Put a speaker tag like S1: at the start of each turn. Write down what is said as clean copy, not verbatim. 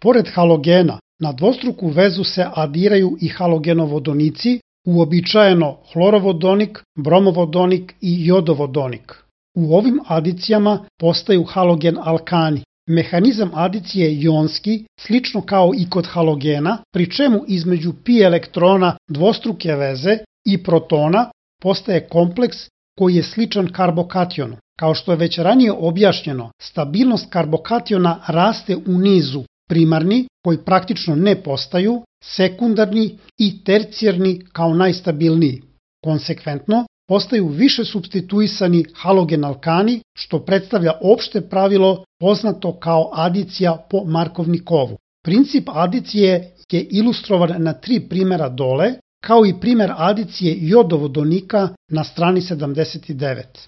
S1: Pored halogena, na dvostruku vezu se adiraju i halogenovodonici, uobičajeno hlorovodonik, bromovodonik i jodovodonik. U ovim adicijama postaju halogen alkani. Mehanizam adicije je ionski, slično kao i kod halogena, pri čemu između pi elektrona dvostruke veze i protona postaje kompleks koji je sličan karbokationu. Kao što je već ranije objašnjeno, stabilnost karbokationa raste u nizu primarni, koji praktično ne postaju, sekundarni i tercijarni kao najstabilniji. Konsekventno, postaju više supstituisani halogen alkani, što predstavlja opšte pravilo poznato kao adicija po Markovnikovu. Princip adicije je ilustrovan na 3 primera dole, kao i primer adicije jodovodonika na strani 79.